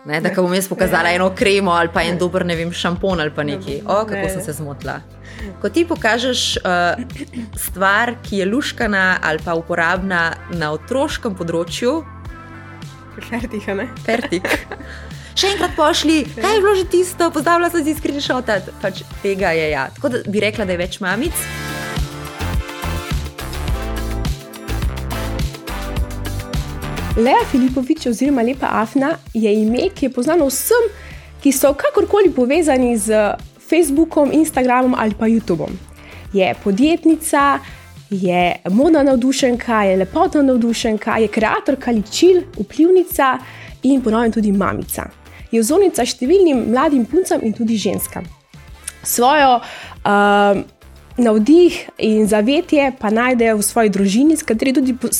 Ne, da bom jaz pokazala eno kremo ali pa en dober, ne vem, šampon ali pa nekaj. Kako sem se zmotila. Ko ti pokažeš stvar, ki je luškana ali pa uporabna na otroškem področju, Fertik, a ne? Fertik. Še enkrat pošli, kaj je bilo že tisto, pozdravila sem si screenshotati, pač tega je ja. Tako da bi rekla, da je več mamic. Lea Filipović oziroma Lepa Afna je ime, ki je poznano vsem, ki so kakorkoli povezani z Facebookom, Instagramom ali pa YouTubeom. Je podjetnica, je modna navdušenka, je lepotna navdušenka, je kreatorka ličil, vplivnica in ponovno tudi mamica. Je vzornica številnim mladim puncam in tudi ženskam. Svojo navdih in zavetje pa najde v svoji družini, s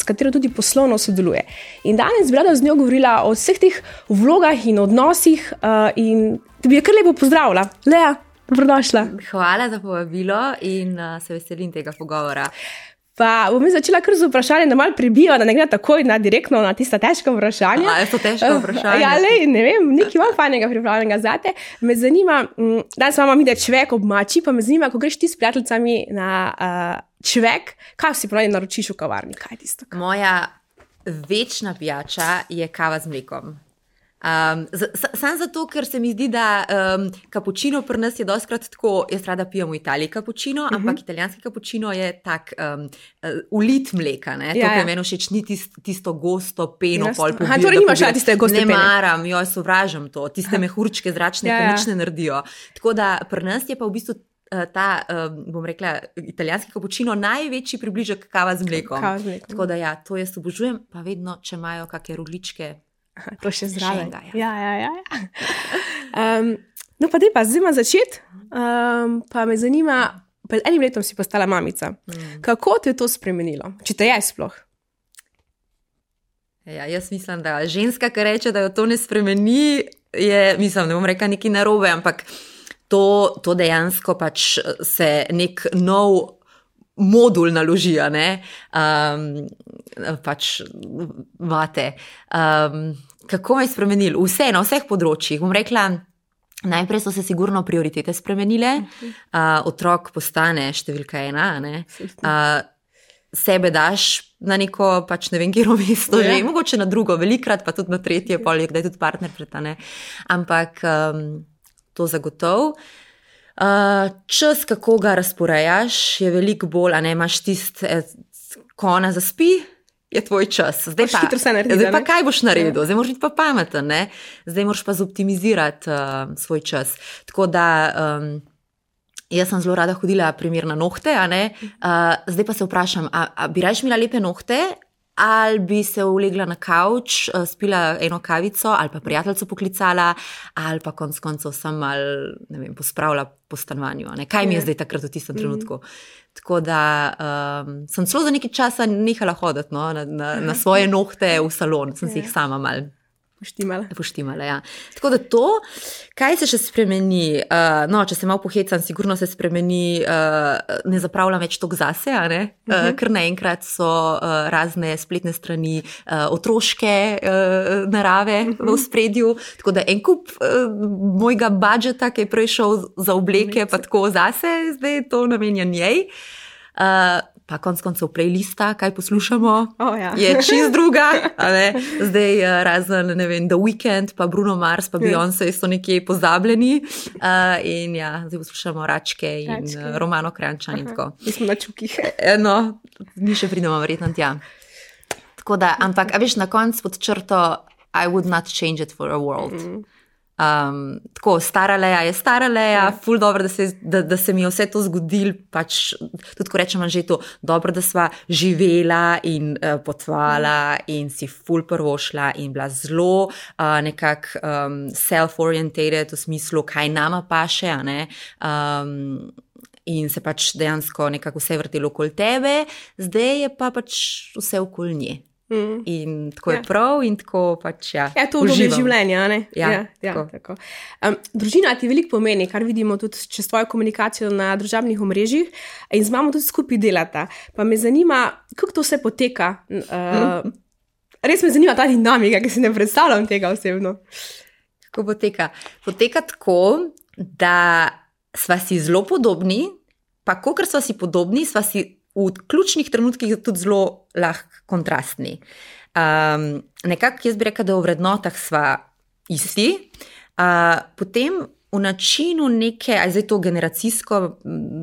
katero tudi poslovno sodeluje. In danes bi rada z njo govorila o vseh teh vlogah in odnosih in da bi jo kar lepo pozdravila. Lea, dobrodošla. Hvala za povabilo in se veselim tega pogovora. Pa bom začela kar z vprašanjem, da malo prebiva, da ne gre takoj direktno na tista težka vprašanja. Je to težko vprašanje? Ja, ne vem, nekaj malo fajnega pripravljenega zate. Me zanima, danes imamo mi, da čvek ob mači, pa me zanima, ko greš ti s prijateljicami na čvek, kaj si pravi naročiš v kavarni? Kaj je tisto? Moja večna pijača je kava z mlekom. Sam zato, ker se mi zdi, da kapučino pri nas je dostkrat tako, jaz rada pijem v Italiji kapučino, ampak italijanski kapučino je tak ulit mleka, ne? To, kar meni všeč, ni tisto gosto peno, pol pobilo. Torej nimaš rada tiste goste pene? Ne maram, sovražam to, tiste mehurčke zračne, ki nič ne naredijo. Tako da pri nas je pa v bistvu ta, bom rekla, italijanski kapučino največji približek kava z mlekom. Tako da ja, to jaz obožujem, pa vedno, če imajo kakšne rogličke. To še zdrave. Ja. No pa dej pa, zdaj ima začeti, pa me zanima, pred enim letom si postala mamica. Kako te je to spremenilo? Če te je sploh? Ja, jaz mislim, da ženska, ki reče, da jo to ne spremeni, je, mislim, ne bom rekla nekaj narobe, ampak to dejansko pač se nek nov modul naložija, ne, pač vate. Kako me je spremenil? Vse, na vseh področjih. Bom rekla, najprej so se sigurno prioritete spremenile, otrok postane številka 1, ne, sebe daš na neko, pač ne vem, kjero mesto že, mogoče na drugo, velikrat, pa tudi na tretje, poleg, da je tudi partner pretane, ampak to zagotov. Čas, kako ga razporejaš, je veliko bolj, a ne, imaš tist, ko ona zaspi, je tvoj čas. Zdaj pa kaj boš naredil? Zdaj moraš biti pa pameten, ne? Zdaj moraš pa zoptimizirati svoj čas. Tako da, jaz sem zelo rada hodila primer na nohte, a ne? Zdaj pa se vprašam, a bi raje imela lepe nohte, ali bi se ulegla na kavč, spila eno kavico, ali pa prijateljico poklicala, ali pa konec koncev sem malo, ne vem, pospravila po stanovanju. Ne? Kaj mi je zdaj takrat v tistem trenutku? Tako da sem celo za nekaj časa nehala hoditi na svoje nohte v salon, sem si jih sama malo poštimala, ja. Tako da to, kaj se še spremeni, no, če se malo pohecam, sigurno se spremeni, ne zapravljam več toliko zase, a ne, ker naenkrat so razne spletne strani otroške narave v ospredju, tako da en kup mojega budžeta, ki je prej šel za obleke, pa tako zase, zdaj to namenjam njej. Pa konc koncev playlista, kaj poslušamo, je čist druga, ne? Zdaj razen, ne vem, The Weeknd, pa Bruno Mars, pa Beyoncé so nekje pozabljeni in ja, zdaj poslušamo Račke in Romano Kranjčan in tako. Mi smo na čukih. No, mi še pridemo verjetno tja. Tako da, ampak, a veš, na koncu pod črto, I would not change it for a world. Tako, stara Lea je stara Lea, ful dobro, da se mi je vse to zgodilo, pač tudi ko rečem že to, dobro, da sva živela in potvala in si ful prvošla in bila zelo nekako self-orientated v smislu, kaj nama paše, a ne, in se pač dejansko nekako vse vrtelo okoli tebe, zdaj je pa pač vse okoli nje. In tako je prav in tako pač Ja, to obdobje življenja, ne? Ja, tako. Družina ti veliko pomeni, kar vidimo tudi čez tvojo komunikacijo na družabnih omrežjih in z mamo tudi skupaj delata. Pa me zanima, kako to vse poteka. Res me zanima ta dinamika, ki si ne predstavljam tega osebno. Kako poteka? Poteka tako, da sva si zelo podobni, pa kolikor sva si podobni, sva si v ključnih trenutkih tudi zelo lahko kontrastni. Nekako jaz bi rekla, da v vrednotah sva isti, potem v načinu neke, ali zdaj to generacijsko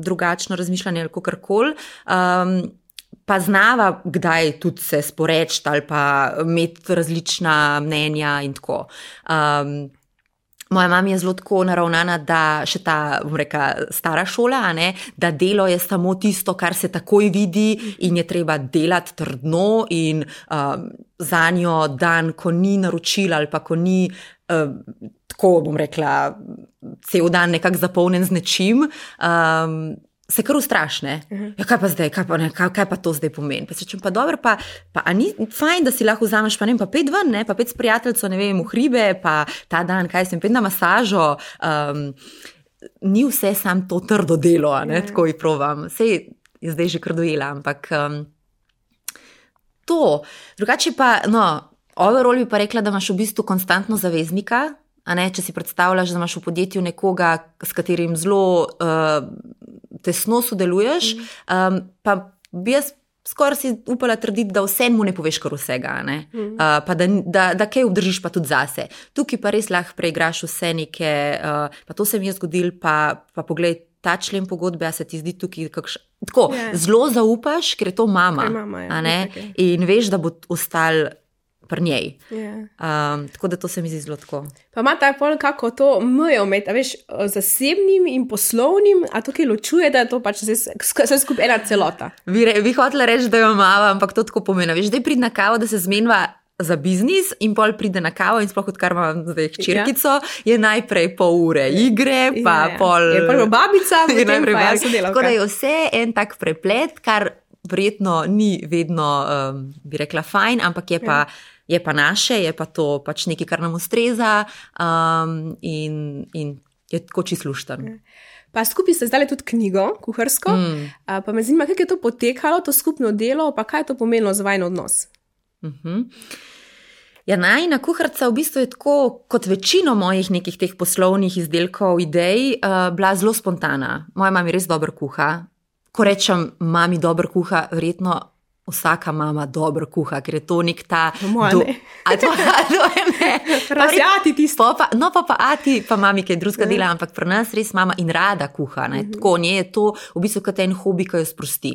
drugačno razmišljanje ali kakorkoli, pa znava kdaj tudi se sporeči ali pa imeti različna mnenja in tako. Moja mama je zelo tako naravnana, da še ta, bom rekla, stara šola, da delo je samo tisto, kar se takoj vidi in je treba delati trdno in za njo dan, ko ni naročila ali pa ko ni tako, bom rekla, cel dan nekako zapolnjen z nečim, se kar ustrašne. Ja, kaj pa zdaj, kaj pa to zdaj pomeni? Pa se čem, pa dobro, pa a ni fajn, da si lahko vzameš, pa ne vem, pa 5 ven, pa 5 s prijateljco, ne vem, v hribe, pa ta dan, kaj sem, 5 na masažo, ni vse sam to trdo delo, tako jih provam. Sej je zdaj že kar dojela, ampak to. Drugače pa, overall bi pa rekla, da imaš v bistvu konstantno zaveznika, če si predstavljaš, da imaš v podjetju nekoga, s katerim zelo tesno sodeluješ, pa bi jaz skoraj si upala trditi, da vsem mu ne poveš kar vsega, pa da kaj obdržiš pa tudi zase. Tukaj pa res lahko preigraš vse neke, pa to se mi je zgodilo, pa poglej, ta člen pogodbe, a se ti zdi tukaj tako, zelo zaupaš, ker je to mama, in veš, da bo ostal pri njej. Tako da to se mi zdi zelo tako. Pa ima ta pol kako to mejo med, veš, zasebnim in poslovnim, a tukaj ločuje, da je to pač vse skupaj ena celota. Bi hotela reči, da jo imava, ampak to tako pomeni. Veš, zdaj pride na kavo, da se zmenva za biznis in pol pride na kavo in sploh odkar imam zdaj hčerkico, je najprej pol ure igre, pa pol... Je prvo babica, potem pa jaz sodelavka. Tako da je vse en tak preplet, kar verjetno ni vedno, bi rekla, fajn, ampak je pa naše, je pa to pač nekaj, kar nam ustreza in je tako čisto lušten. Pa skupaj ste zdali tudi knjigo, kuharsko, pa me zanima, kako je to potekalo, to skupno delo, pa kaj je to pomenilo za vajin odnos? Ja, najina kuharca v bistvu je tako, kot večino mojih nekih teh poslovnih izdelkov, idej, bila zelo spontana. Moja mama res dobro kuha. Ko rečem, mami dobro kuha, verjetno vsaka mama dobro kuha, ker je to nek ta... Moja ne. Razjati tisto. Pa ati, pa mami kaj drugega dela, ampak pri nas res mama in rada kuha. Tako, nje je to v bistvu kot en hobi, ki jo sprosti.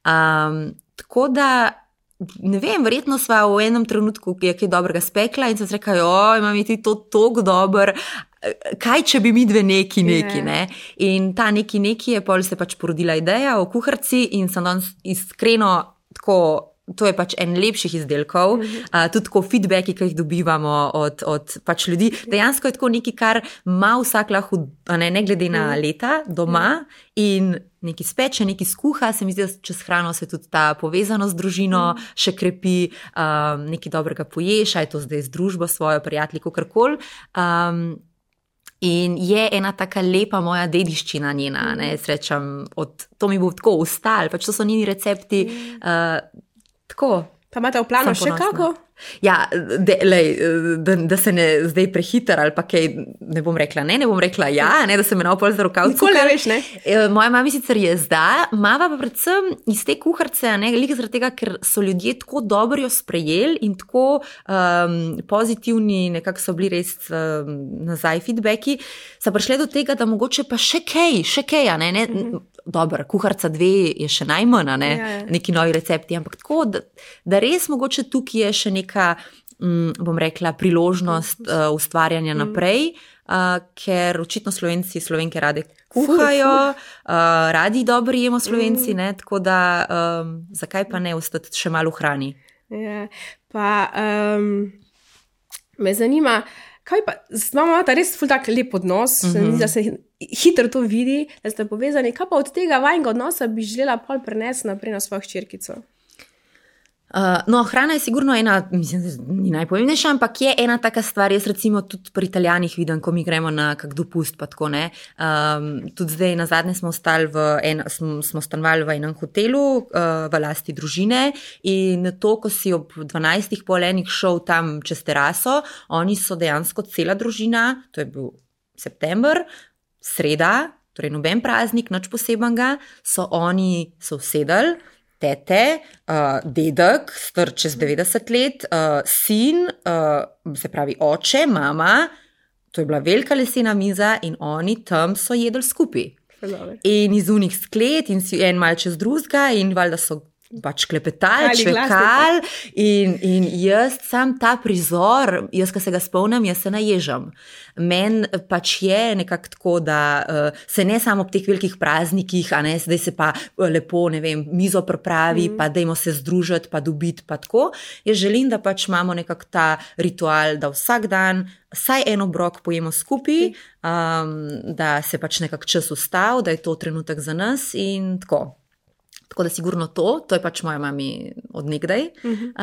Tako da, ne vem, verjetno sva v enem trenutku, ki je kaj dobrega spekla in sem se rekla, mami, ti to toliko dober, kaj če bi mi dve neki, ne? In ta neki je, pol se pač porodila ideja o kuharci in sem danes iskreno tako, to je pač en lepših izdelkov, tudi tako feedbacki, ki jih dobivamo od pač ljudi. Dejansko je tako nekaj, kar ima vsak lahko, ne glede na leta, doma in nekaj speče, nekaj skuha, se mi zdi, da čez hrano se tudi ta povezanost z družino še krepi, nekaj dobrega poješ, a je to zdaj z družbo svojo, prijatelji, kakorkoli. In je ena taka lepa moja dediščina njena, srečam, to mi bo tako ostalo, pač to so njeni recepti, tako. Pa imate v planu še kako? Ja, da se ne zdaj prehiter ali pa kaj, ne bom rekla ja, da se me na opol za rokav cukar. Nikoli ne veš, ne? Moja mami sicer je zdaj, mava pa predvsem iz te kuharce, veliko zaradi tega, ker so ljudje tako dobro jo sprejeli in tako pozitivni, nekako so bili res nazaj feedbacki, so prišli do tega, da mogoče pa še kaj, ne? Dobro, kuharca 2 je še najmanj, neki novi recepti, ampak tako, da res mogoče tukaj je še neka, bom rekla, priložnost ustvarjanja naprej, ker očitno Slovenke rade kuhajo, radi dobro jemo Slovenci, tako da zakaj pa ne ostati še malo v hrani. Ja, pa me zanima, kaj pa, imamo ta res ful tak lep odnos, da se hitro to vidi, da ste povezani, kaj pa od tega vajnega odnosa bi želela pol prenesti naprej na svojo hčerkico? No, hrana je sigurno ena, mislim, ni najpomembnejša, ampak je ena taka stvar. Jaz recimo tudi pri Italijanih vidim, ko mi gremo na kak dopust, pa tako ne. Tudi zdaj nazadnje smo stanovali v enem hotelu v lasti družine in to, ko si ob 12 pol enih šel tam čez teraso, oni so dejansko cela družina, to je bil september, sreda, torej noben praznik, nič posebenega, so oni se usedali, tete, dedek, star čez 90 let, sin, se pravi oče, mama, to je bila velika lesena miza in oni tam so jedli skupaj. In iz unih sklet in si en mal čez drugega in valjda so pač klepetali, čvekali in jaz sam ta prizor, jaz, ko se ga spomnim, jaz se naježam. Meni pač je nekako tako, da se ne samo ob teh velikih praznikih, a ne, zdaj se pa lepo, ne vem, mizo pripravi, pa dajmo se združiti, pa dobiti, pa tako. Jaz želim, da pač imamo nekako ta ritual, da vsak dan vsaj en obrok pojemo skupaj, da se pač nekako čas ustavi, da je to trenutek za nas in tako. Tako da sigurno to je pač moja mami od nekdaj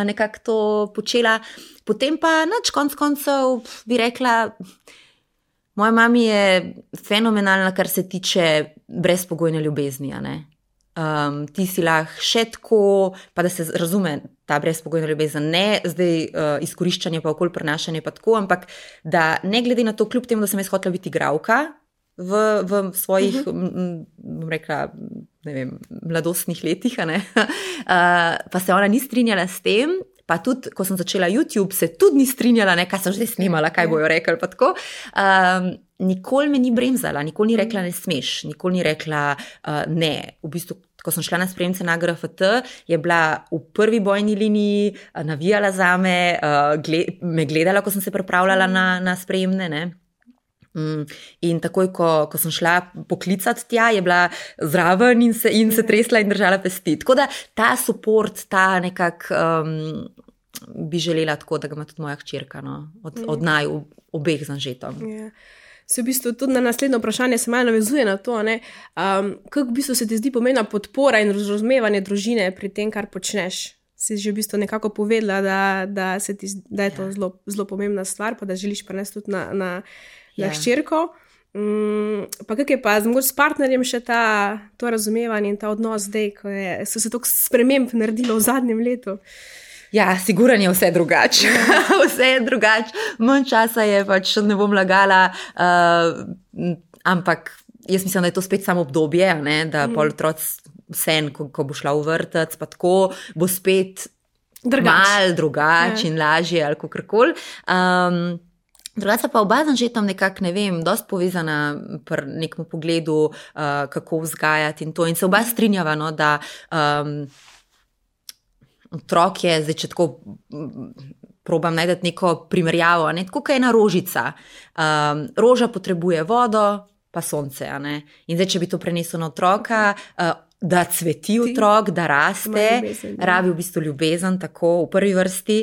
nekako to počela. Potem pa nič konc koncev bi rekla, moja mami je fenomenalna, kar se tiče brezpogojne ljubezni, a ne. Ti si lahko še tako, pa da se razume ta brezpogojna ljubezen, ne zdaj izkoriščanje pa okoli prenašanje pa tako, ampak da ne glede na to, kljub temu, da sem jaz hotela biti igralka, v svojih, bom rekla, ne vem, mladostnih letih, ne? Pa se ona ni strinjala s tem, pa tudi, ko sem začela YouTube, se tudi ni strinjala, ne, kaj sem že snimala, kaj bojo rekli, pa tako. Nikoli me ni bremzala, nikoli ni rekla ne smeš, nikoli ni rekla ne. V bistvu, ko sem šla na spremnice na GRFT, je bila v prvi bojni liniji, navijala zame, me gledala, ko sem se pripravljala na spremne, ne. In takoj, ko sem šla poklicati tja, je bila zraven in se tresla in držala pesti. Tako da ta support, ta nekak bi želela tako, da ga ima tudi moja hčerka, no? Od naju obeh z Anžetom. Se v bistvu tudi na naslednje vprašanje se malo navezuje na to, ne? Kako v bistvu se ti zdi pomembna podpora in razumevanje družine pri tem, kar počneš? Si že v bistvu nekako povedala, da je to zelo pomembna stvar, pa da želiš prenesti tudi na hčerko. Pa kak je pa mogoče s partnerjem še to razumevanje in ta odnos zdaj, ko so se toliko sprememb naredilo v zadnjem letu? Ja, sigurno je vse drugače. Vse je drugače. Manj časa je, pač ne bom lagala, ampak jaz mislim, da je to spet samo obdobje, ne? Da pol otroc vsem, ko bo šla v vrtec, pa tako bo spet malo drugače in lažje ali kakorkoli. Drugače pa oba z Anžetom nekako, ne vem, dosti povezana pri nekem pogledu, kako vzgajati in to. In se oba strinjava, no, da otrok je, zdaj če tako probam najti neko primerjavo, ne, tako kot ena rožica. Roža potrebuje vodo, pa sonce, a ne. In zdaj, če bi to prenesel na otroka, da cveti otrok, da raste, rabi v bistvu ljubezen, tako v prvi vrsti,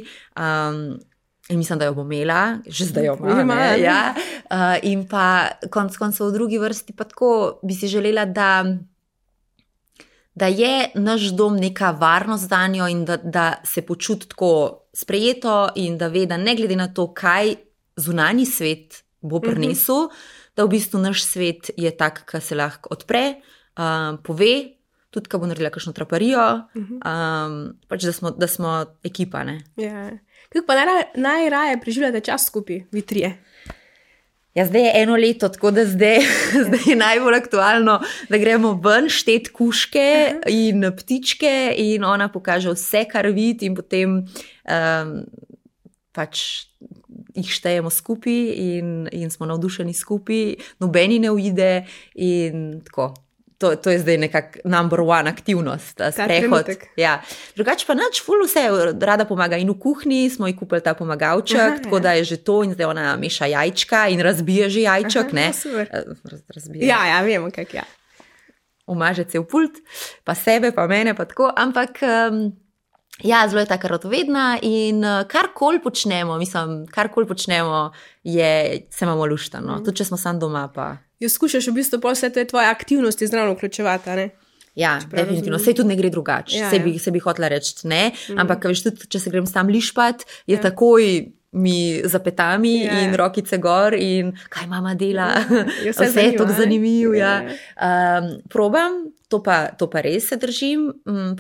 in mislim, da jo bo imela, že zdaj jo ima, ne, ja. In pa konec koncev v drugi vrsti pa tako bi si želela, da je naš dom neka varnost zanjo in da se počuti tako sprejeto in da ve, da ne glede na to, kaj zunanji svet bo prinesel, da v bistvu naš svet je tak, ki se lahko odpre, pove, tudi, ko bo naredila kakšno traparijo, pač da smo ekipa, ne. Ja. Kako pa najraje preživljate čas skupaj, vi trije? Ja, zdaj je 1 leto, tako da zdaj je najbolj aktualno, da gremo ven štet kuške in ptičke in ona pokaže vse, kar vidi in potem pač jih štejemo skupaj in smo navdušeni skupaj, nobeni ne uide in tako. To je zdaj nekak number one aktivnost, sprehod. Ja. Drugače pa nič, ful vse, rada pomaga in v kuhinji, smo ji kupili ta pomagalček, tako da je že to in zdaj ona meša jajčka in razbije že jajček, ne? Razbije. Ja, vemo kak, ja. Umaže cel pult, pa sebe, pa mene, pa tako, ampak ja, zelo je taka radovedna in karkoli počnemo, se imamo luštano, tudi če smo sam doma pa. Jo skušaš v bistvu pa vse te tvoje aktivnosti zraven vključevati, ne? Ja, definitivno. Sej tudi ne gre drugače. Se bi hotela reči ne, ampak veš, tudi, če se grem sam lišpat, je takoj mi zapetami in rokice gor in kaj mama dela. Vse je tako zanimivo. Probam, to pa res se držim,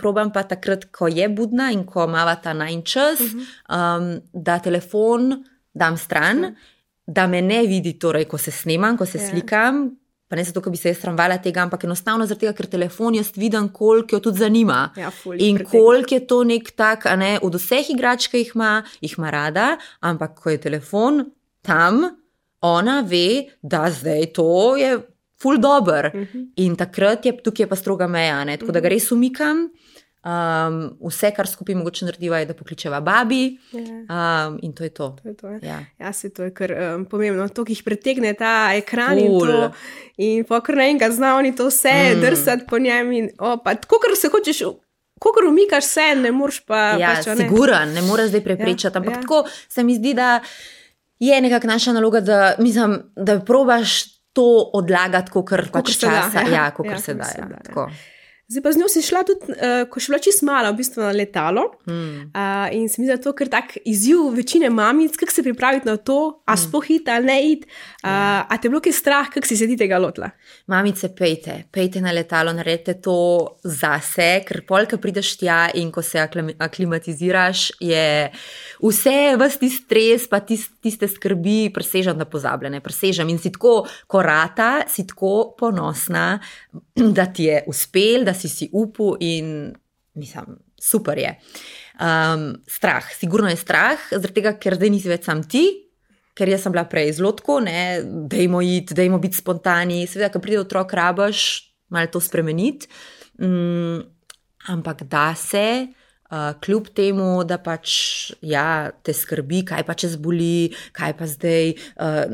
probam pa takrat, ko je budna in ko mava ta najin čas, da telefon dam stran, da me ne vidi, torej, ko se snemam, ko se slikam, pa ne zato, ko bi se jaz sramvala tega, ampak enostavno zaradi tega, ker telefon jaz vidim, koliko jo tudi zanima. In koliko je to nek tak, od vseh igrač, ki jih ima rada, ampak ko je telefon tam, ona ve, da zdaj to je ful dober. In takrat tukaj je pa stroga meja, tako da ga res umikam. Vse, kar skupaj mogoče narediva, je, da pokličeva babi in to je to. Se to je kar pomembno. To, ki jih pretegne ta ekran in pokor naenkrat zna oni to vse drsati po njem in tako, kar se hočeš, kakor umikaš se, ne moreš pa siguran, ne moreš zdaj preprečati, ampak tako se mi zdi, da je nekako naša naloga, da probaš to odlagati, kakor pač časa. Kakor se da. Tako. Zdaj pa z njo si šla tudi, ko še bila čisto mala, v bistvu na letalo. In se mi zdi, da to kar tak izziv večine mamic, kako se pripraviti na to, a sploh iti ali ne iti, a te bilo kaj strah, kako si se ti tega lotila? Mamice, pejte na letalo, naredite to zase, ker polka prideš tja in ko se aklimatiziraš, je vse, ves ti stres, pa tiste skrbi presežem, da pozabljene, presežem in si tako korata, si tako ponosna, da ti je uspel, da si upal in mislim, super je. Strah, sigurno je strah, zaradi tega, ker zdaj nisi več sam ti, ker jaz sem bila prej zelo tako, dajmo iti, dajmo biti spontani, seveda, ko pride otrok, rabaš malo to spremeniti, ampak da se, kljub temu, da pač te skrbi, kaj pa če zboli, kaj pa zdaj,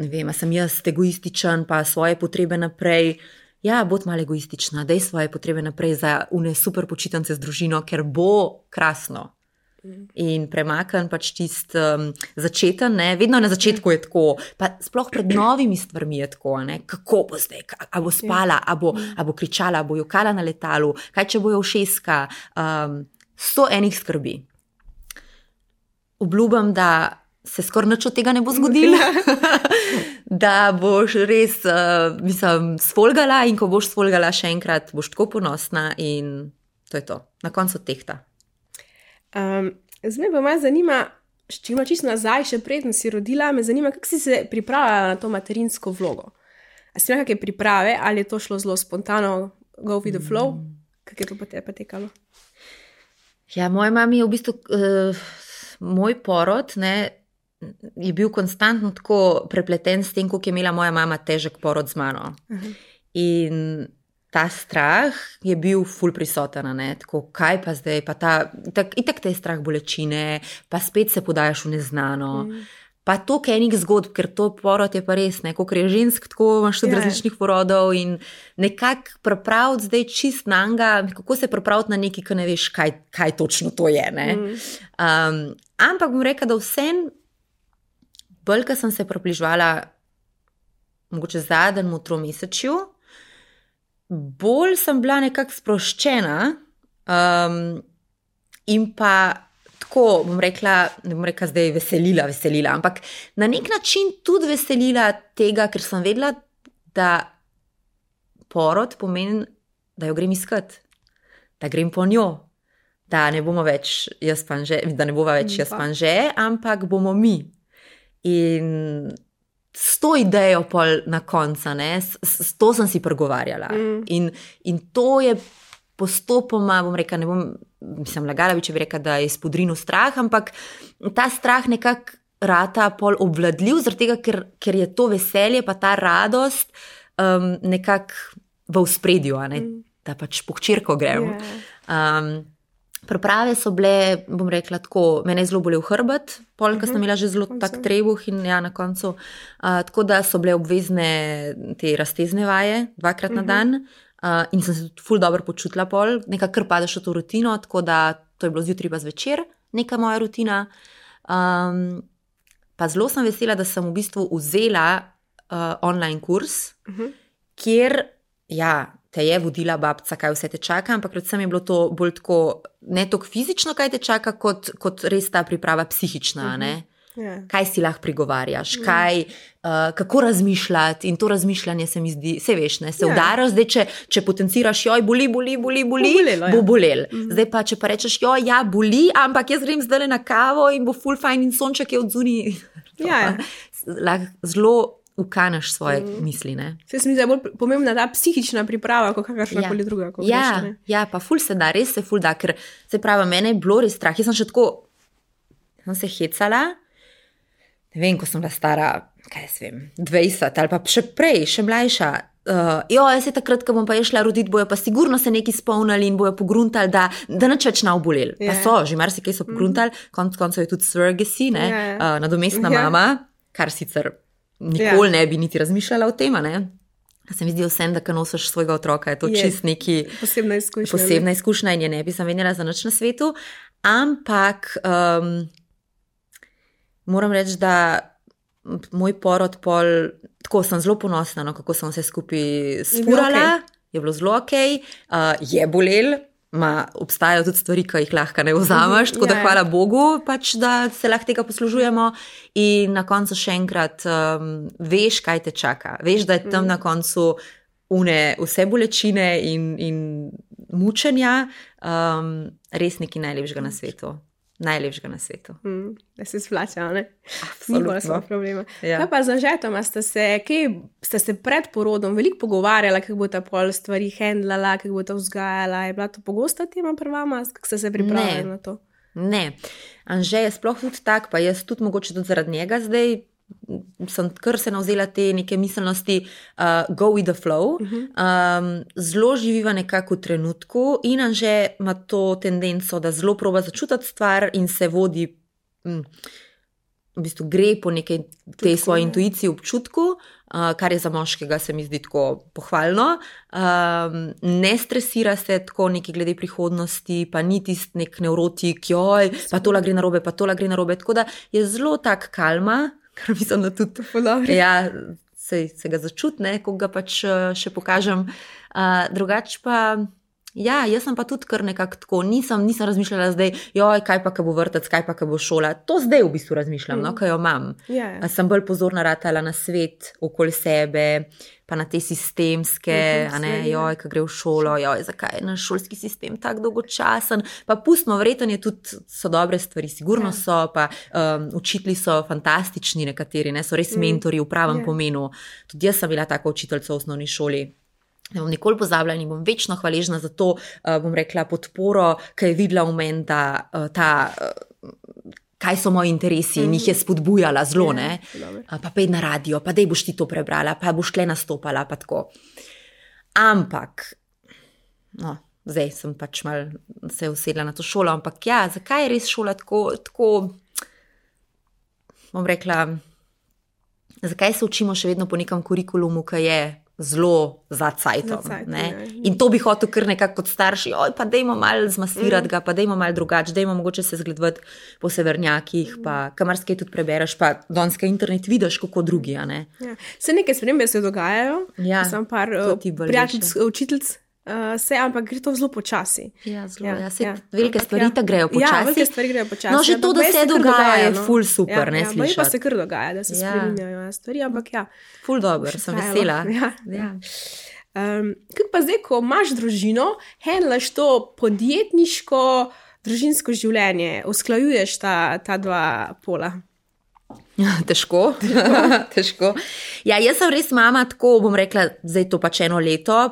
ne vem, a sem jaz egoističen, pa svoje potrebe naprej. Bod malo egoistična, daj svoje potrebe naprej za une super počitnice z družino, ker bo krasno. In premakn pač tist začeten, vedno na začetku je tako, pa sploh pred novimi stvarmi je tako, kako bo zdaj, a bo spala, a bo kričala, a bo jokala na letalu, kaj če bo jo všeska, 100 enih skrbi. Obljubam, da se skoraj nič od tega ne bo zgodilo, da boš res, sfolgala in ko boš sfolgala še enkrat, boš tako ponosna in to je to. Na koncu tehta. Zdaj me pa malo zanima, če ima čisto nazaj, še preden si rodila, me zanima, kako si se pripravljala na to materinsko vlogo. A si imela kakšne priprave, ali je to šlo zelo spontano, go with the flow? Kako je to pa tekalo? Moja mami je v bistvu, moj porod, je bil konstantno tako prepleten s tem, koliko je imela moja mama težek porod z mano. In ta strah je bil ful prisoten, tako kaj pa zdaj, pa itak te je strah bolečine, pa spet se podajaš v neznano. Pa toliko enih zgodb, ker to porod je pa res, koliko je žensk, tako imaš tudi različnih porodov in nekako pripraviti zdaj čist nanga, kako se pripraviti na nekaj, ki ne veš, kaj točno to je. Ampak bom rekla, da vsem bolj, ko sem se približevala mogoče zadnjemu tromesečju, bolj sem bila nekako sproščena in pa tako, bom rekla, ne bom rekla zdaj veselila, ampak na nek način tudi veselila tega, ker sem vedela, da porod pomeni, da jo grem iskat, da grem po njo, da ne bomo več jaz pa Anže, ampak bomo mi. In s to idejo pol na konca, s to sem si pregovarjala. In to je postopoma, bom rekla, mislim, lagala bi, če bi rekla, da je spodrinil strah, ampak ta strah nekako rata pol obvladljiv, zaradi tega, ker je to veselje, pa ta radost nekako v ospredju, da pač po hčerko grem. Priprave so bile, bom rekla tako, mene je zelo bolel hrbet, polka sem imela že zelo tak trebuh in na koncu, tako da so bile obvezne te raztezne vaje 2-krat na dan in sem se tudi ful dobro počutila pol, nekako kar padeš v to rutino, tako da to je bilo zjutraj pa zvečer, neka moja rutina. Pa zelo sem vesela, da sem v bistvu vzela online kurs, kjer, te je vodila babca, kaj vse te čaka, ampak predvsem je bilo to bolj tako, ne toliko fizično, kaj te čaka, kot res ta priprava psihična, ne? Kaj si lahko prigovarjaš, kako razmišljati, in to razmišljanje se mi zdi, se veš, ne, se udaraš, zdaj, če potenciraš, joj, boli, bo bolel. Zdaj pa, če pa rečeš, joj, ja, boli, ampak jaz grem zdaj na kavo in bo ful fajn in sonček je od zunaj. Lahko zelo ukaneš svoje misli, ne. Se mi zdi bolj pomembna ta psihična priprava, kot kakršnakoli druga. Ja, pa ful se da, res se ful da, ker se pravi, mene je bilo res strah, jaz sem še tako, sem se hecala. Ne vem, ko sem bila stara, 20 ali pa še prej, še mlajša. Jaz je takrat, ko bom pa šla roditi, bojo pa sigurno se neki spomnili in bojo pogruntali, da nič več ne oboleli. Pa so, že marsikaj so pogruntali, konec koncev je tudi surrogacy, nadomestna mama, kar sicer nikoli ne bi niti razmišljala o tem, ne. Se mi zdi vsem, da ko nosiš svojega otroka, je to čist neki posebna izkušnja in je ne bi zamenjala za nič na svetu, ampak moram reči, da moj porod tako sem zelo ponosna, kako sem vse skupaj spurala, je bilo zelo okej, je bolel, obstajajo tudi stvari, ki jih lahko ne vzameš, tako da hvala Bogu, pač, da se lahko tega poslužujemo in na koncu še enkrat veš, kaj te čaka. Veš, da je tam na koncu vse bolečine in mučenja res nekaj najlepšega na svetu. Najlepšega na svetu. Da se splača, ne? Absolutno. Ni pa problema. Kaj pa z Anžetoma? Ste se pred porodom veliko pogovarjala, kako bo ta pol stvari handlala, kako bo ta vzgajala? Je bila to pogosta tema pri vama? Kako ste se pripravljali na to? Ne. Anže je sploh tudi tak, pa jaz tudi mogoče tudi zaradi njega zdaj sem kar se navzela te neke miselnosti go with the flow. Zelo živiva nekako v trenutku in Anže ima to tendenco, da zelo proba začutiti stvar in se vodi, v bistvu gre po nekaj tej svoji intuiciji, občutku, kar je za moškega se mi zdi tako pohvalno. Ne stresira se tako neki glede prihodnosti, pa ni tist nek nevrotik, joj, pa tola gre narobe, tako da je zelo tak kalma, kar mislim, da tudi se ga začutne, ko ga pač še pokažem. Drugače pa, jaz sem pa tudi kar nekako tako, nisem razmišljala zdaj, joj, kaj pa, ko bo vrtec, kaj pa, ko bo šola. To zdaj v bistvu razmišljam, ko jo imam. Sem bolj pozorna ratala na svet okoli sebe, pa na te sistemske, joj, ko gre v šolo, joj, zakaj je naš šolski sistem tak dolgočasen, pa pustimo, verjetno tudi so dobre stvari, sigurno so, pa učitelji so fantastični nekateri, so res mentori v pravem pomenu. Tudi jaz sem bila taka učiteljica v osnovni šoli. Ne bom nikoli pozabila in bom večno hvaležna za to, bom rekla, podporo, ki je videla v meni, da kaj so moji interesi in jih je spodbujala zelo, ne. Pa pej na radio, pa dej boš ti to prebrala, pa boš tle nastopala, pa tako. Ampak, zdaj sem pač mal se usedla na to šolo, ampak zakaj je res šola tako, bom rekla, zakaj se učimo še vedno po nekem kurikulumu, ki je zelo za cajtom, ne. In to bi hotel kar nekako kot starši, pa dejmo malo zmasirati ga, pa dejmo malo drugače, dejmo mogoče se zgledovati po severnjakih, pa kamarskaj tudi prebereš, pa donska internet vidiš, kako drugi, ne. Se neke spremembe se dogajajo, sem par prijateljic, učiteljic, ampak gre to zelo počasi. Velike stvari ta grejo počasi. Velike stvari grejo počasi. No, že to, da se dogaja, je ful super, ne slišati. Pa se kar dogaja, da se spreminjajo stvari, ampak ful dobro, sem vesela. Kaj pa zdaj, ko imaš družino, handlaš to podjetniško, družinsko življenje, usklajuješ ta dva pola? Težko. Jaz sem res mama, tako bom rekla, zdaj to pač 1 leto,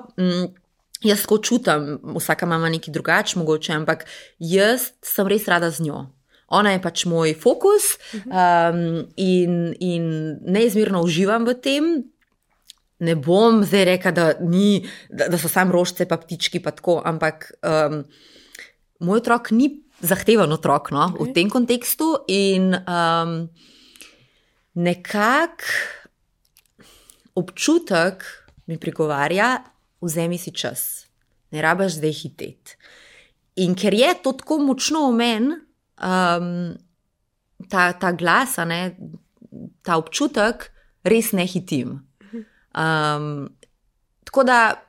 jaz tako čutim, vsaka mama nekaj drugače mogoče, ampak jaz sem res rada z njo. Ona je pač moj fokus in neizmerno uživam v tem. Ne bom zdaj rekla, da so sam rožice pa ptički pa tako, ampak moj otrok ni zahteven otrok, v tem kontekstu in nekako občutek mi prigovarja, vzemi si čas, ne rabiš zdaj hiteti. In ker je to tako močno v meni, ta glas, ta občutek, res ne hitim. Tako da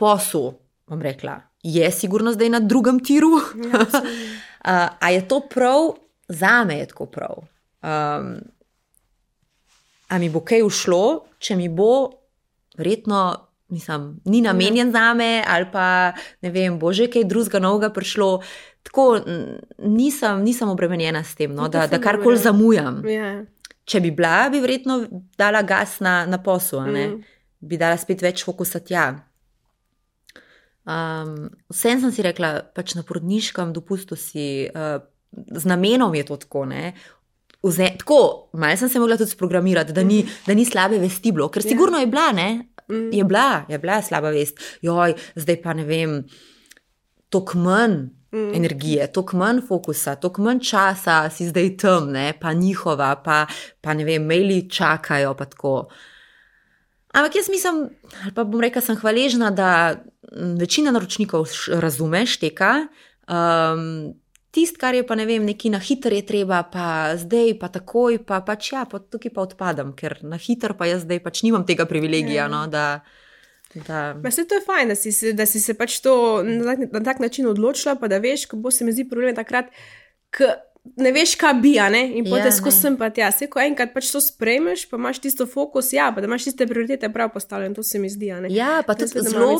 posel, bom rekla, je sigurno zdaj na drugem tiru. A je to prav? Zame je tako prav. A mi bo kaj ušlo, če mi bo verjetno, mislim, ni namenjen zame ali pa, ne vem, bo že kaj drugega novega prišlo. Tako nisem obremenjena s tem, no, da karkoli zamujam. Če bi bila, bi verjetno dala gas na posel, bi dala spet več fokusa tja. Vsem sem si rekla, pač na porodniškem dopustu si, z namenom je to tako, ne. Tako, malo sem se mogla tudi sprogramirati, da ni slabe vesti bilo, ker sigurno je bila, ne, je bila slaba vest. Joj, zdaj pa ne vem, toliko manj energije, toliko manj fokusa, toliko manj časa si zdaj tam, ne, pa njihova, pa ne vem, maili čakajo, pa tako. Ampak jaz mislim, ali pa bom rekla, sem hvaležna, da večina naročnikov razume, šteka, kar je pa, ne vem, neki na hiter je treba, pa zdaj, pa takoj, pa pač ja, pa tukaj pa odpadam, ker na hiter pa jaz zdaj pač nimam tega privilegija, no, da... Mislim, to je fajn, da si se pač to na tak način odločila, pa da veš, ko bo se mi zdi problem takrat, ne veš, kaj bi, ne, in potem skozi sem pa tja. Ko enkrat pač to sprejmeš, pa imaš tisto fokus, ja, pa da imaš tiste prioritete prav postavljene, to se mi zdi, ne. Ja, pa tudi zelo...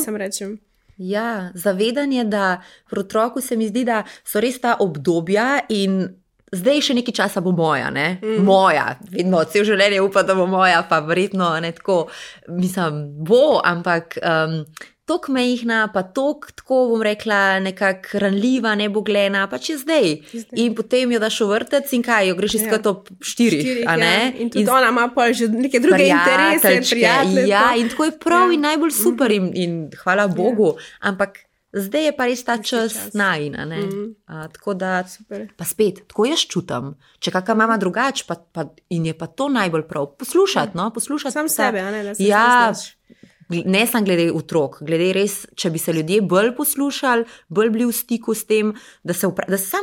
Ja, zavedanje, da pri otroku se mi zdi, da so res ta obdobja in zdaj še nekaj časa bo moja, ne? Moja, vedno, cel življenje upa, da bo moja, pa verjetno ne tako, mislim, bo, ampak tok mehna, pa tok, tako bom rekla, nekak ranljiva, neboglena, pa če zdaj. In potem jo daš v vrtec in kaj, jo greš iskat ob 4, a ne? In tudi ona ima pa že neke druge interese, prijatelje. Ja, in tako je prav in najbolj super in hvala Bogu, ampak zdaj je pa res ta čas najina, ne? Tako da, pa spet, tako jaz čutam, če kakva mama drugač, in je pa to najbolj prav, poslušati, no, poslušati. Sam sebe, a ne, da se znaš. Ne samo glede otrok, glede res, če bi se ljudje bolj poslušali, bolj bili v stiku s tem, da sam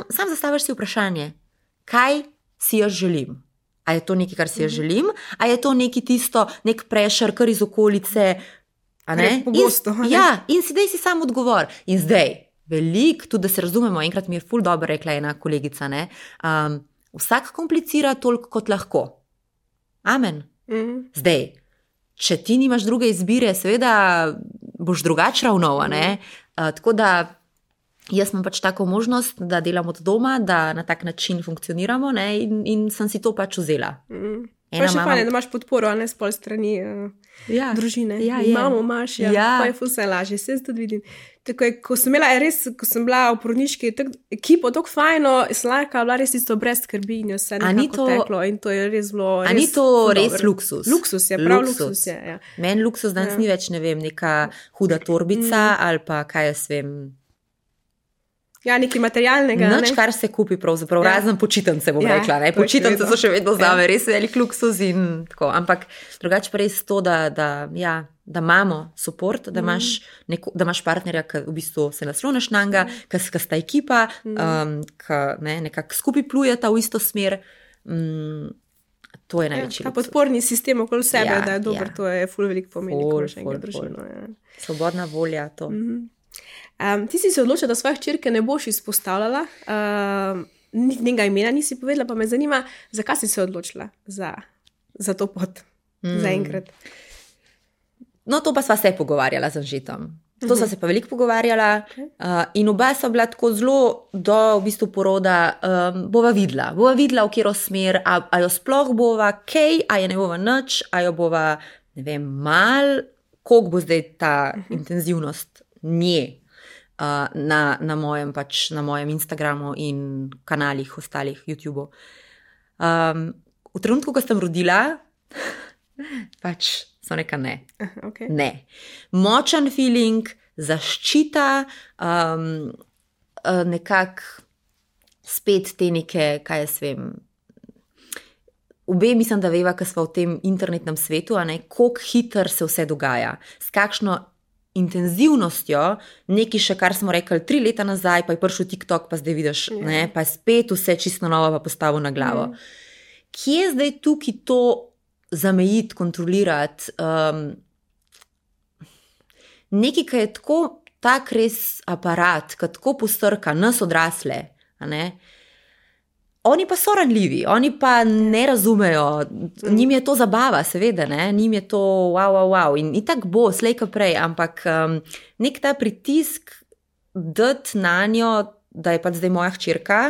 zastaviš si vprašanje, kaj si jaz želim. A je to nekaj, kar si jaz želim, a je to nekaj tisto, nek pressure, kar iz okolice, a ne? Pogosto. Ja, in zdaj si sam odgovor. In zdaj, veliko, tudi da se razumemo, enkrat mi je ful dobro rekla ena kolegica, ne? Vsak komplicira toliko, kot lahko. Amen. Zdaj, če ti nimaš druge izbire, seveda boš drugače ravnal, ne? Tako da jaz imam pač tako možnost, da delam od doma, da na tak način funkcioniramo, ne? In sem si to pač vzela. Pa še fajn, da imaš podporo, a ne s pol strani družine. Mamo imaš, pa je vse lažje, se tudi vidim. Tako je, ko sem bila v porodniški ekipo, tako fajno, slajka, bila res isto brez skrbi in vse nekako teklo in to je res bilo res. A ni to res luksus? Luksus je, prav luksus je, ja. Meni luksus danes ni več, ne vem, neka huda torbica ali pa kaj jaz vem. Ja, nekaj materialnega. Nič, kar se kupi pravzaprav, razen počitnice, bom rekla. Ne? Počitnice so še vedno zame res velik luksus in tako. Ampak drugače pa res to, da imamo support, da imaš partnerja, ki v bistvu se nasloneš na njega, ki sta ekipa, ki nekako skupaj plujeta v isto smer. To je največji luksus. Ta podporni sistem okoli sebe, da je dober, to je ful veliko pomeni, ko imaš enkrat družino. Svobodna volja, to. Ti si se odločila, da svoje hčerke ne boš izpostavljala, njenega imena nisi povedala, pa me zanima, zakaj si se odločila za to pot, za enkrat. No, to pa sva se pogovarjala z Anžetom. To sva se pa veliko pogovarjala in oba sva bila tako zelo do v bistvu poroda, bova videla, v katero smer, a jo sploh bova kaj, a je ne bova nič, a jo bova, ne vem, mal, koliko bo zdaj ta intenzivnost nje. Na mojem Instagramu in kanalih ostalih YouTube. V trenutku, ko sem rodila, pač so neka ne. Okay. Ne. Močan feeling, zaščita, nekako spet te neke, kaj jaz vem, obe mislim, da veva, ko smo v tem internetnem svetu, a ne, koliko hitro se vse dogaja, s kakšno intenzivnostjo, nekaj še, kar smo rekli 3 leta nazaj, pa je prišel TikTok, pa zdaj vidiš, ne, pa je spet vse čisto novo, pa postavil na glavo. Kje je zdaj tukaj to zamejiti, kontrolirati? nekaj, ki je tako tak res aparat, ki tako postrka nas odrasle, a ne? Oni pa so ranljivi, oni pa ne razumejo, njim je to zabava, seveda, ne? Njim je to wow. In tako bo, slej ko prej, ampak nek ta pritisk dati na njo, da je pač zdaj moja hčerka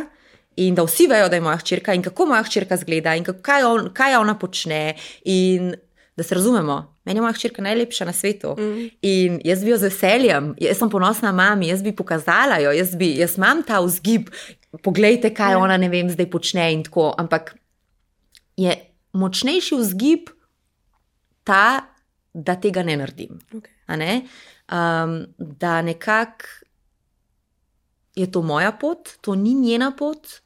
in da vsi vejo, da je moja hčerka in kako moja hčerka zgleda in kaj ona počne in da se razumemo. Meni je moja hčerka najlepša na svetu in jaz bi jo z veseljem, jaz sem ponosna mami, jaz bi pokazala jo, jaz imam ta vzgib, poglejte, kaj ona, ne vem, zdaj počne in tako, ampak je močnejši vzgib ta, da tega ne naredim. Okay. A ne? Da nekako je to moja pot, to ni njena pot,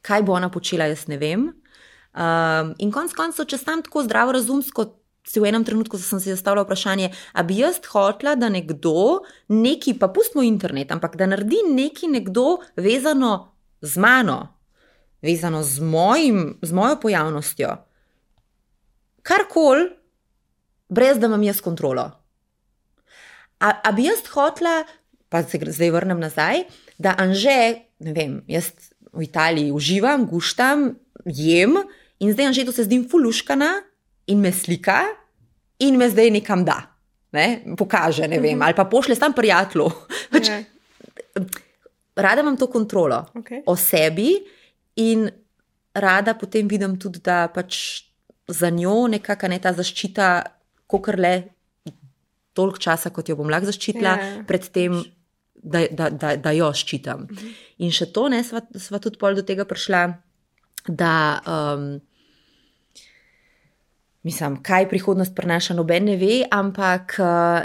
kaj bo ona počela, jaz ne vem. In konec koncev, če sem tako zdravo razumsko, v enem trenutku sem si zastavila vprašanje, a bi jaz hotela, da nekdo, pa pustimo internet, ampak da naredi nekdo vezano z mano, vezano z mojo pojavnostjo, karkoli, brez da imam jaz kontrolo. A bi jaz hotela, pa se zdaj vrnem nazaj, da Anže, ne vem, jaz v Italiji uživam, guštam, jem in zdaj Anžetu se zdim fuluškana in me slika in me zdaj nekam da, ne? Pokaže, ne vem, ali pa pošle sam prijatelju. Rada imam to kontrolo o sebi in rada potem vidim tudi, da pač za njo nekaka ne ta zaščita, kakor le toliko časa, kot jo bom lahko zaščitila, pred tem, da jo ščitam. In še to, ne, sva tudi pol do tega prišla, da mislim, kaj prihodnost prinaša, noben ne ve, ampak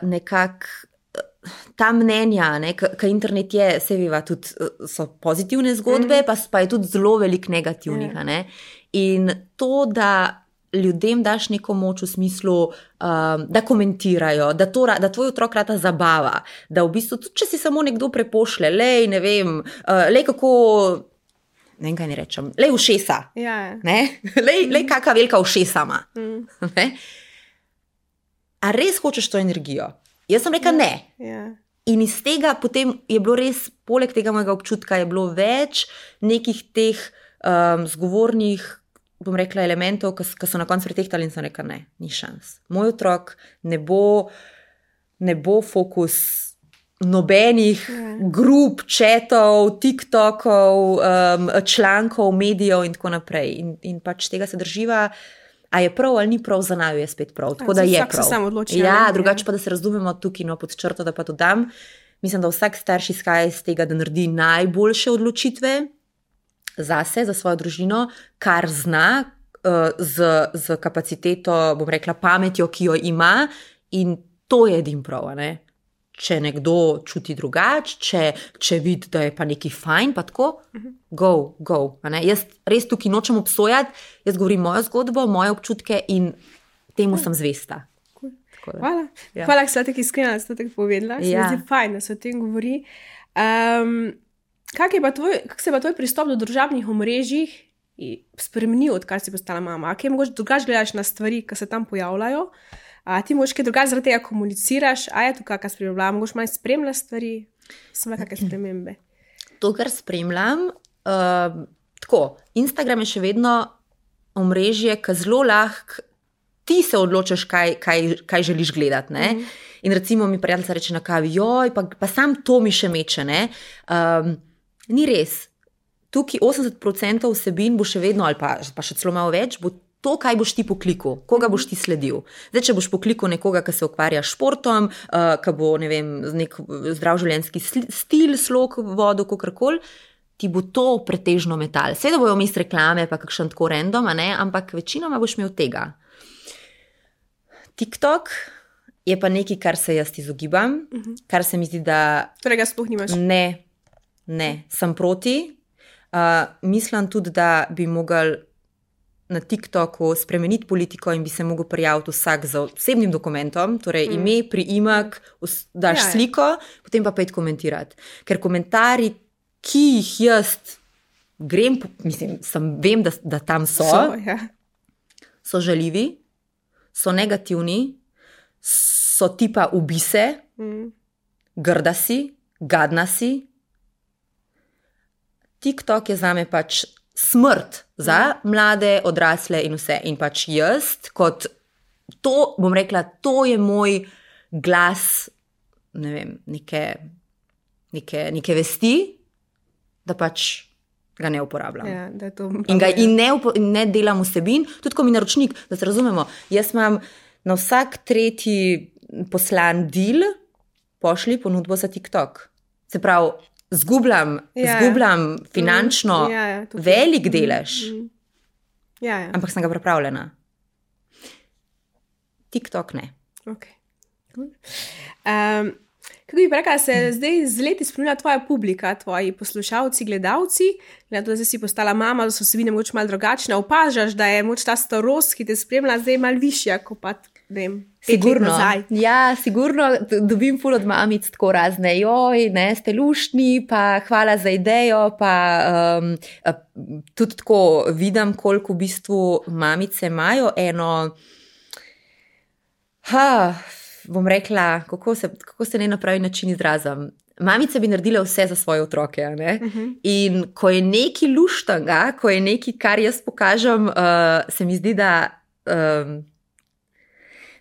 nekako ta mnenja, ki internet je, se veva, tudi so pozitivne zgodbe, pa je tudi zelo veliko negativnih. Ne? In to, da ljudem daš neko moč v smislu, da komentirajo, da tvoj otrok rata zabava, da v bistvu, tudi če si samo nekdo prepošle, lej, ne vem, lej kako, ne vem, kaj ne rečem, lej ušesa, lej kakva velika ušesa ima. A res hočeš to energijo? Jaz sem rekla ne. In iz tega potem je bilo res, poleg tega mojega občutka, je bilo več nekih teh zgovornih, bom rekla, elementov, ki so na koncu pretehtali in sem rekla ne, ni šans. Moj otrok ne bo fokus nobenih grup, četov, TikTokov, člankov, medijev in tako naprej. In pač tega se drživa, a je prav ali ni prav, za naju je spet prav. Tako da je prav. Vsak se sam odloči. Ja, drugače pa, da se razumemo tukaj, no, pod črto, da pa dodam. Mislim, da vsak starš izhaja iz tega, da naredi najboljše odločitve zase, za svojo družino, kar zna, z kapaciteto, bom rekla, pametjo, ki jo ima, in to je edin prav, ne? Če nekdo čuti drugače, če vidi, da je pa nekaj fajn, pa tako, go. Jaz res tukaj nočem obsojati, jaz govorim mojo zgodbo, moje občutke in temu sem zvesta. Hvala. Hvala, da ste tako iskrena, da ste tako povedala. Se mi zdi fajn, da se o tem govori. Kak se je pa tvoj pristop do družabnih omrežij spremenil, odkar si postala mama? Kaj mogoče drugače gledaš na stvari, ki se tam pojavljajo? Ti mogoče kaj drugače zaradi tega komuniciraš? A je tu kakšna sprememba? Mogoče malo spremljaš stvari? So kakšne spremembe? To, kar spremljam, tako, Instagram je še vedno omrežje, ki zelo lahko ti se odločiš, kaj želiš gledati, ne? In recimo mi prijateljica reče na kavi, joj, pa sam to mi še meče, ne? Ni res. Tukaj 80% vsebin bo še vedno, ali pa še celo malo več, bo to, kaj boš ti poklikal, koga boš ti sledil. Zdaj, če boš poklikal nekoga, ki se ukvarja s športom, ki bo, ne vem, nek zdrav življenjski stil, slog, vodo, kakorkoli, ti bo to pretežno metal. Seveda bojo vmes reklame, pa kakšen tako random, ne? Ampak večinoma boš imel tega. TikTok je pa nekaj, kar se jaz izogibam, kar se mi zdi, da... Torej ga sploh nimaš? Ne, sem proti. Mislim tudi, da bi mogel na TikToku spremeniti politiko in bi se mogel prijaviti vsak z osebnim dokumentom, torej ime, priimek, daš sliko, potem pa pojdi komentirati. Ker komentarji, ki jih jaz grem, vem, da tam so žaljivi, so negativni, so tipa ubise, grda si, gadna si. TikTok je zame pač smrt za mlade, odrasle in vse. In pač jaz, kot to, bom rekla, to je moj glas, ne vem, neke vesti, da pač ga ne uporabljam. Ja, da je to in ne delam vsebin, tudi ko mi naročnik, da se razumemo, jaz imam na vsak tretji poslan deal, pošli ponudbo za TikTok. Se pravi, zgubljam finančno velik delež, ampak sem ga pripravljena. TikTok ne. Okay. Kako bi rekla, se zdaj z leti spremenila tvoja publika, tvoji poslušalci, gledalci, glede to, da si postala mama, da so vsebine moč malo drugačne, opažaš, da je moč ta starost, ki te spremlja, zdaj malo višja, kot pa, ne vem, 5 let nazaj. Ja, sigurno dobim ful od mamic tako razne, joj, ne, ste luštni, pa hvala za idejo, pa tudi tako vidim, koliko v bistvu mamice imajo bom rekla, kako se ne na pravi način izrazim. Mamice bi naredile vse za svoje otroke. Ne? In ko je nekaj luštanga, ko je nekaj, kar jaz pokažem, se mi zdi, da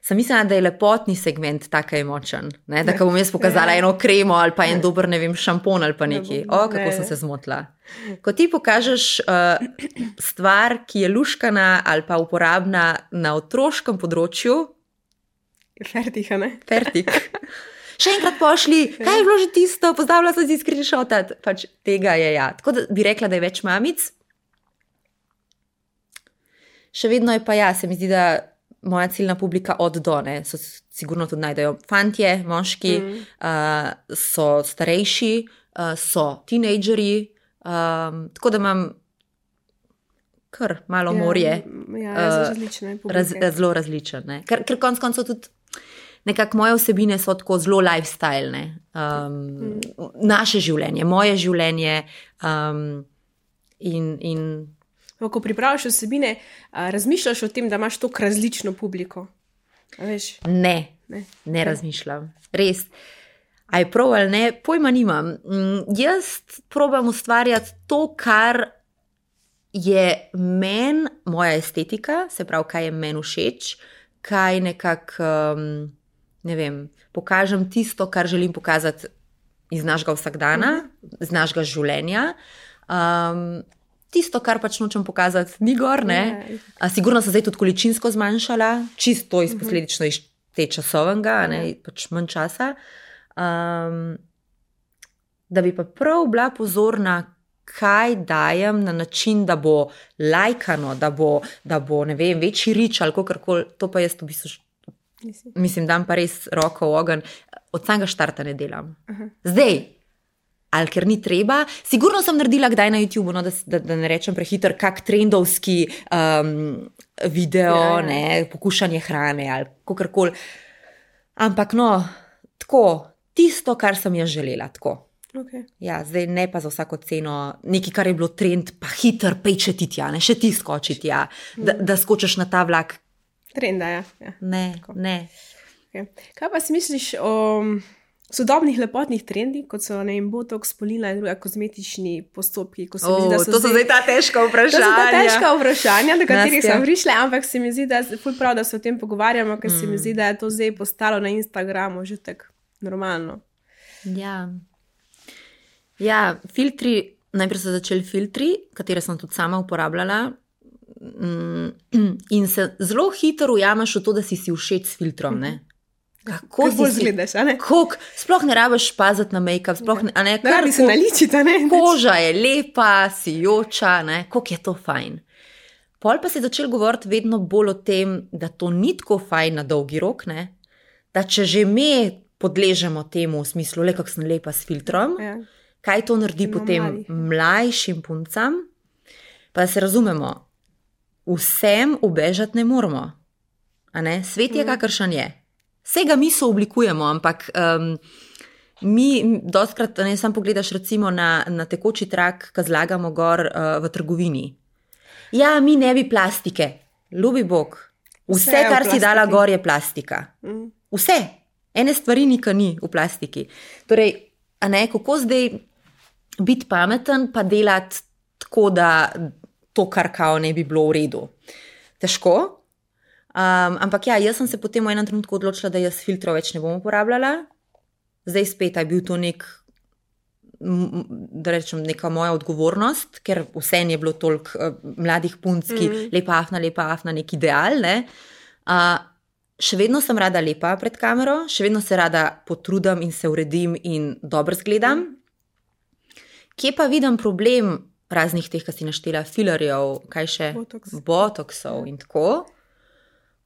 sem mislila, da je lepotni segment tako močen. Ne? Da ko bom jaz pokazala eno kremo ali pa en dober, ne vem, šampon ali pa nekaj. Kako sem se zmotila. Ko ti pokažeš stvar, ki je luškana ali pa uporabna na otroškem področju, Fertik, a ne? Fertik. Še enkrat pošli, kaj je bilo že tisto, pozdravila sem si screenshotat. Pač tega je ja. Tako da bi rekla, da je več mamic. Še vedno je pa ja, se mi zdi, da moja ciljna publika od do, ne, so sigurno tudi najdejo fantje, moški, so starejši, so tinejdžeri, tako da imam kar malo morje. Zelo različne. Ker konc koncev tudi nekako moje vsebine so tako zelo lifestyle, naše življenje, moje življenje in ko pripraviš vsebine, razmišljaš o tem, da imaš toliko različno publiko? Veš? Ne razmišljam. Res. A je prav ali ne, pojma nimam. Jaz probam ustvarjati to, kar je meni moja estetika, se pravi, kaj je meni všeč, kaj nekako, ne vem, pokažem tisto, kar želim pokazati iz našega vsakdana, iz našega življenja. Tisto, kar pač nočem pokazati, ni gor, ne. Sigurno sem zdaj tudi količinsko zmanjšala, čisto iz posledično iz te časovnega, ne, pač manj časa. Da bi pa prav bila pozorna, kaj dajem na način, da bo lajkano, da bo ne vem, večji rič ali kakorkoli, to pa jaz v bistvu, mislim, dam pa res roko v ogenj, od samega štarta ne delam. Zdaj, ali ker ni treba, sigurno sem naredila kdaj na YouTube, no, da ne rečem prehiter, kak trendovski video, ne, pokušanje hrane ali kakorkoli. Ampak no, tako, tisto, kar sem jaz želela, tako. Okay. Ja, zdaj ne pa za vsako ceno, nekaj, kar je bilo trend, pa hiter, pejčeti tja, ne, še ti skoči tja, da skočiš na ta vlak. Trenda, ja. Ne. Okay. Kaj pa si misliš o sodobnih lepotnih trendih, kot so, ne vem, botox, polila in druga kozmetični postopki? Ko se mi zdi, da to so zdaj ta težka vprašanja. To so ta težka vprašanja, do katerih sem prišla, ampak se mi zdi, da je ful prav, da se o tem pogovarjamo, ker se mi zdi, da je to zdaj postalo na Instagramu že tako normalno. Ja, filtri, najprej so začeli filtri, katere sem tudi sama uporabljala in se zelo hitro ujameš v to, da si všeč s filtrom, ne. Kako bolj zgledaš, a ne? Sploh ne rabiš paziti na make-up, sploh ne, a ne. Ne rabi se naličiti, a ne? Koža je lepa, sijoča, ne, koliko je to fajn. Pol pa se je začel govoriti vedno bolj o tem, da to ni tako fajn na dolgi rok, ne, da če že me podležemo temu v smislu, le kako sem lepa s filtrom, kaj to naredi potem mlajšim puncam, pa da se razumemo, vsem ubežati ne moramo. A ne? Svet je kakršen je. Vsega mi so oblikujemo, ampak mi dostkrat, ne, sam pogledaš recimo na tekoči trak, ko zlagamo gor v trgovini. Ja, mi ne bi plastike. Ljubi Bog. Vse kar si dala gor, je plastika. Vse. Ene stvari nikar ni v plastiki. Torej, a ne, kako zdaj biti pameten, pa delati tako, da to, kar kao ne bi bilo v redu. Težko. Ampak ja, jaz sem se potem v enem trenutku odločila, da jaz filtrov več ne bom uporabljala. Zdaj spet je bil to da rečem, neka moja odgovornost, ker vse je bilo toliko mladih punc, ki lepa afna, nek ideal, ne. Še vedno sem rada lepa pred kamero, še vedno se rada potrudim in se uredim in dobro zgledam. Kje pa vidim problem raznih teh, ki si naštela, filerjev, kaj še? Botoksov in tako.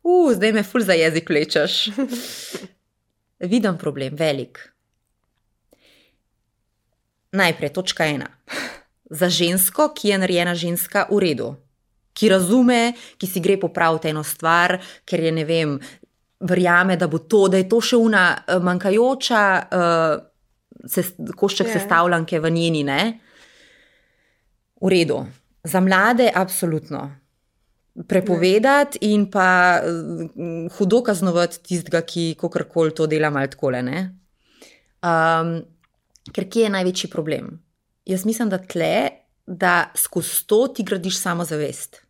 Zdaj me ful za jezik vlečeš. Vidim problem, velik. Najprej, točka 1. Za žensko, ki je narejena ženska, v redu. Ki razume, ki si gre popraviti eno stvar, ker je, ne vem, verjame, da je to še una manjkajoča košček sestavljanke v njeni, ne? V redu. Za mlade, absolutno. Prepovedati in pa hudo kaznovati tistega, ki kakorkoli to dela malo takole, ne? Ker kje je največji problem? Jaz mislim, da skozi to ti gradiš samozavest.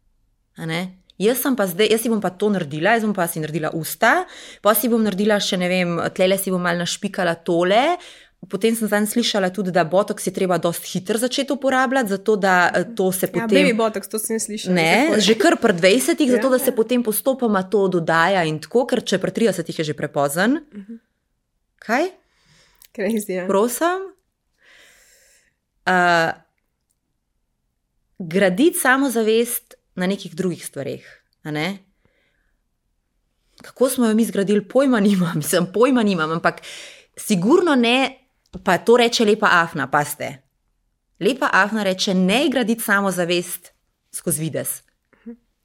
A ne? Jaz si bom pa to naredila, jaz bom pa si naredila usta, pa si bom naredila še, ne vem, tlele si bom malo našpikala tole. Potem sem zanj slišala tudi, da botoks je treba dosti hitro začeti uporabljati, zato da to se potem... Ja, baby botoks, to sem slišala. Ne, že kar pri 20-ih, zato da se potem postopoma to dodaja in tako, ker če pri 30-ih je že prepozen. Kaj? Crazy, ja. Prosim. Graditi samozavest na nekih drugih stvareh, a ne? Kako smo jo mi zgradili, pojma nimam, ampak sigurno ne, pa to reče lepa afna, paste. Lepa afna reče, ne graditi samozavest skozi videz.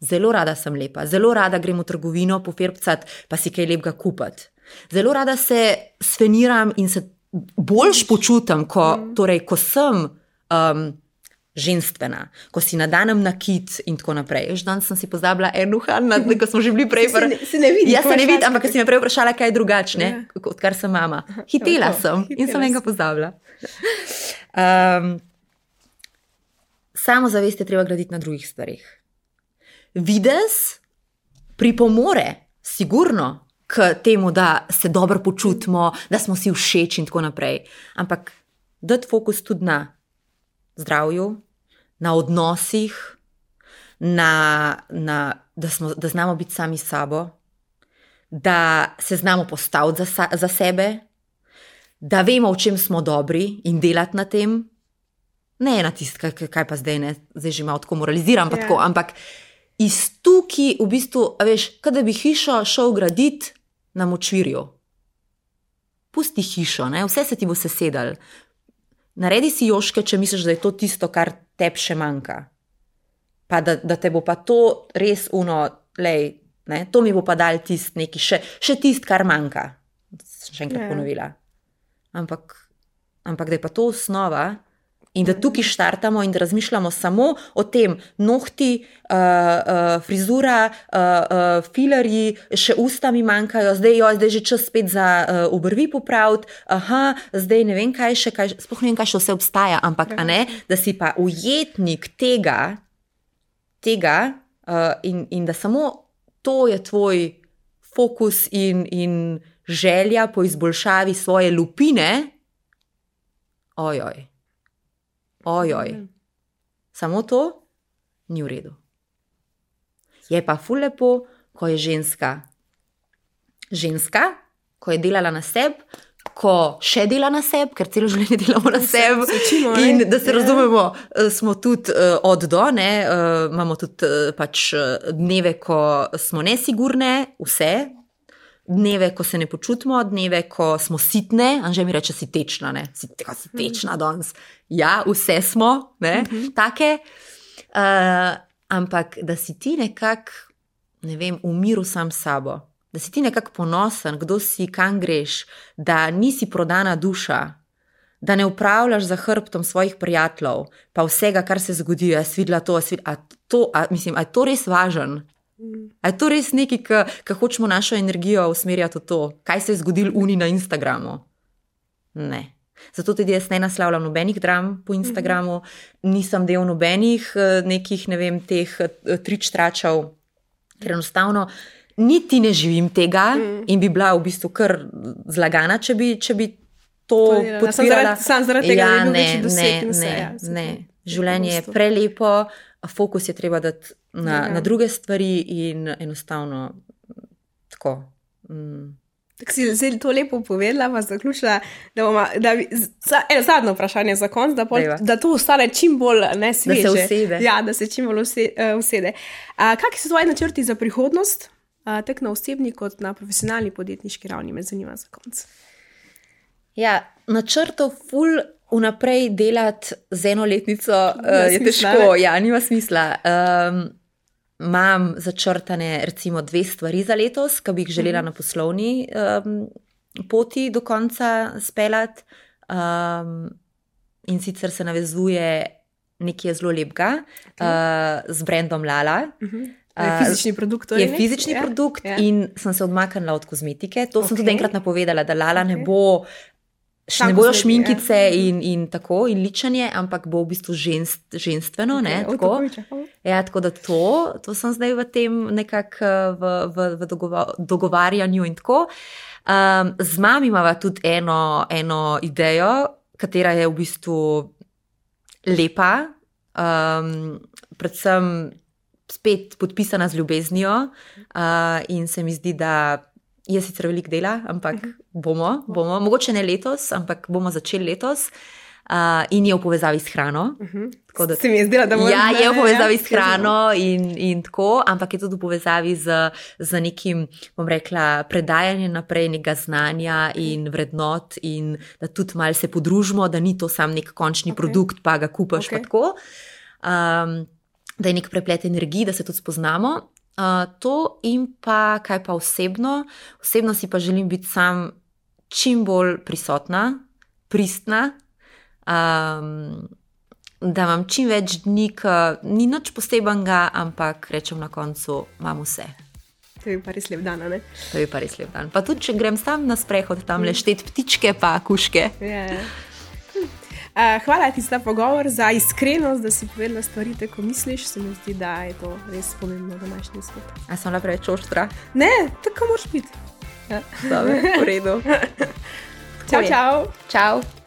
Zelo rada sem lepa, zelo rada grem v trgovino pofirbcat, pa si kaj lepega kupati. Zelo rada se sfeniram in se boljš počutim, ko sem ženstvena, ko si nadanem nakit in tako naprej. Danes sem si pozabila uhan, ko smo že bili prej. Se ne vidi. Ja, se ne vidi, ampak si me prej vprašala, kaj je drugačne, odkar sem mama. Hitela sem in sem enega pozabila. Samozavest je treba graditi na drugih stvarih. Videz pripomore, sigurno, k temu, da se dobro počutimo, da smo si všeč in tako naprej. Ampak dati fokus tudi na zdravju, na odnosih, da znamo biti sami s sabo, da se znamo postaviti za sebe, da vemo, v čem smo dobri in delati na tem. Ne na tisto, kaj pa zdaj ne, zdaj že malo tako moraliziram, pa tako, ampak iz tukaj v bistvu, veš, kada bi hišo šel graditi na močvirju. Pusti hišo, ne, vse se ti bo sesedal. Naredi si joške, če misliš, da je to tisto, kar tebi še manjka. Pa da te bo pa to res to mi bo pa dal tist neki, še tist, kar manjka. Še enkrat ponovila. Ampak da je pa to osnova in da tukaj štartamo in da razmišljamo samo o tem, nohti, frizura, filerji, še usta mi manjkajo, zdaj že čas spet za obrvi popraviti, zdaj ne vem kaj še, sploh ne vem kaj še vse obstaja, ampak a ne, da si pa ujetnik tega in da samo to je tvoj fokus in želja po izboljšavi svoje lupine, ojoj. Samo to ni v redu. Je pa ful lepo, ko je ženska, ko je delala na sebi, ko še dela na sebi, ker celo življenje delamo na sebi in da se razumemo, smo tudi od do, ne, imamo tudi pač dneve, ko smo nesigurne, vse, dneve, ko se ne počutimo, dneve, ko smo sitne, Anže mi reče, si tečna, ne, si tečna danes. Ja, vse smo, ne, take, ampak da si ti nekako, ne vem, v miru sam s sabo, da si ti nekako ponosen, kdo si, kam greš, da nisi prodana duša, da ne upravljaš za hrbtom svojih prijateljev, pa vsega, kar se zgodi, jaz videla to, mislim, a je to res važen? A je to res nekaj, ki hočemo našo energijo usmerjati v to, kaj se je zgodilo uni na Instagramu? Ne. Zato tudi jaz ne naslavljam nobenih dram po Instagramu, nisem del nobenih nekih, ne vem, teh trič-tračev, ker enostavno niti ne živim tega in bi bila v bistvu kar zlagana, če bi to podpirala. Sam zaradi tega, da bi bil večji doseg in vse. Ne. Življenje je prelepo, fokus je treba dati na druge stvari in enostavno tako. Tako si zdaj to lepo povedala, pa zaključila, eno zadnjo vprašanje za konc, da to ostane čim bolj nesveže. Da se usede. Ja, da se čim bolj usede. Kakšni so tvoji načrti za prihodnost, tako na osebni kot na profesionalni podjetniški ravni, me zanima za konc? Ja, načrtov ful vnaprej delati z enoletnico je težko. Ja, nima smisla. Imam začrtane recimo 2 stvari za letos, ki bi jih želela na poslovni poti do konca speljati. In sicer se navezuje nekaj zelo lepega z brandom Lala. Je fizični produkt. Je fizični produkt in sem se odmaknila od kozmetike. To sem tudi enkrat napovedala, da Lala ne bo... Ne bojo šminkice in tako, in ličanje, ampak bo v bistvu ženstveno. Tako da to sem zdaj v tem nekako v dogovarjanju in tako. Z mami imava tudi eno idejo, katera je v bistvu lepa, predvsem spet podpisana z ljubeznijo in se mi zdi, da je sicer veliko dela, ampak bomo, mogoče ne letos, ampak bomo začeli letos in je v povezavi s hrano. Se mi je zdela, da bomo... Ja, je v povezavi s hrano in tako, ampak je tudi v povezavi z nekim, bom rekla, predajanjem naprej nekega znanja in vrednot in da tudi malo se podružimo, da ni to sam nek končni produkt, pa ga kupaš pa tako. Da je nek preplet energij, da se tudi spoznamo. To in pa kaj pa osebno si pa želim biti sam čim bolj prisotna, pristna, da imam čim več dni, ni nič posebenega, ampak rečem na koncu, imam vse. To je pa res lep dan, ne? To je pa res lep dan. Pa tudi, če grem sam na sprehod, tam leštet ptičke pa kuške. Hvala ti za pogovor, za iskrenost, da si povedala stvari, tako misliš. Se mi zdi, da je to res pomembno v današnji svet. A sem bila preveč oštra? Ne, tako moraš biti. Dobre, v redu. Čau. Čau.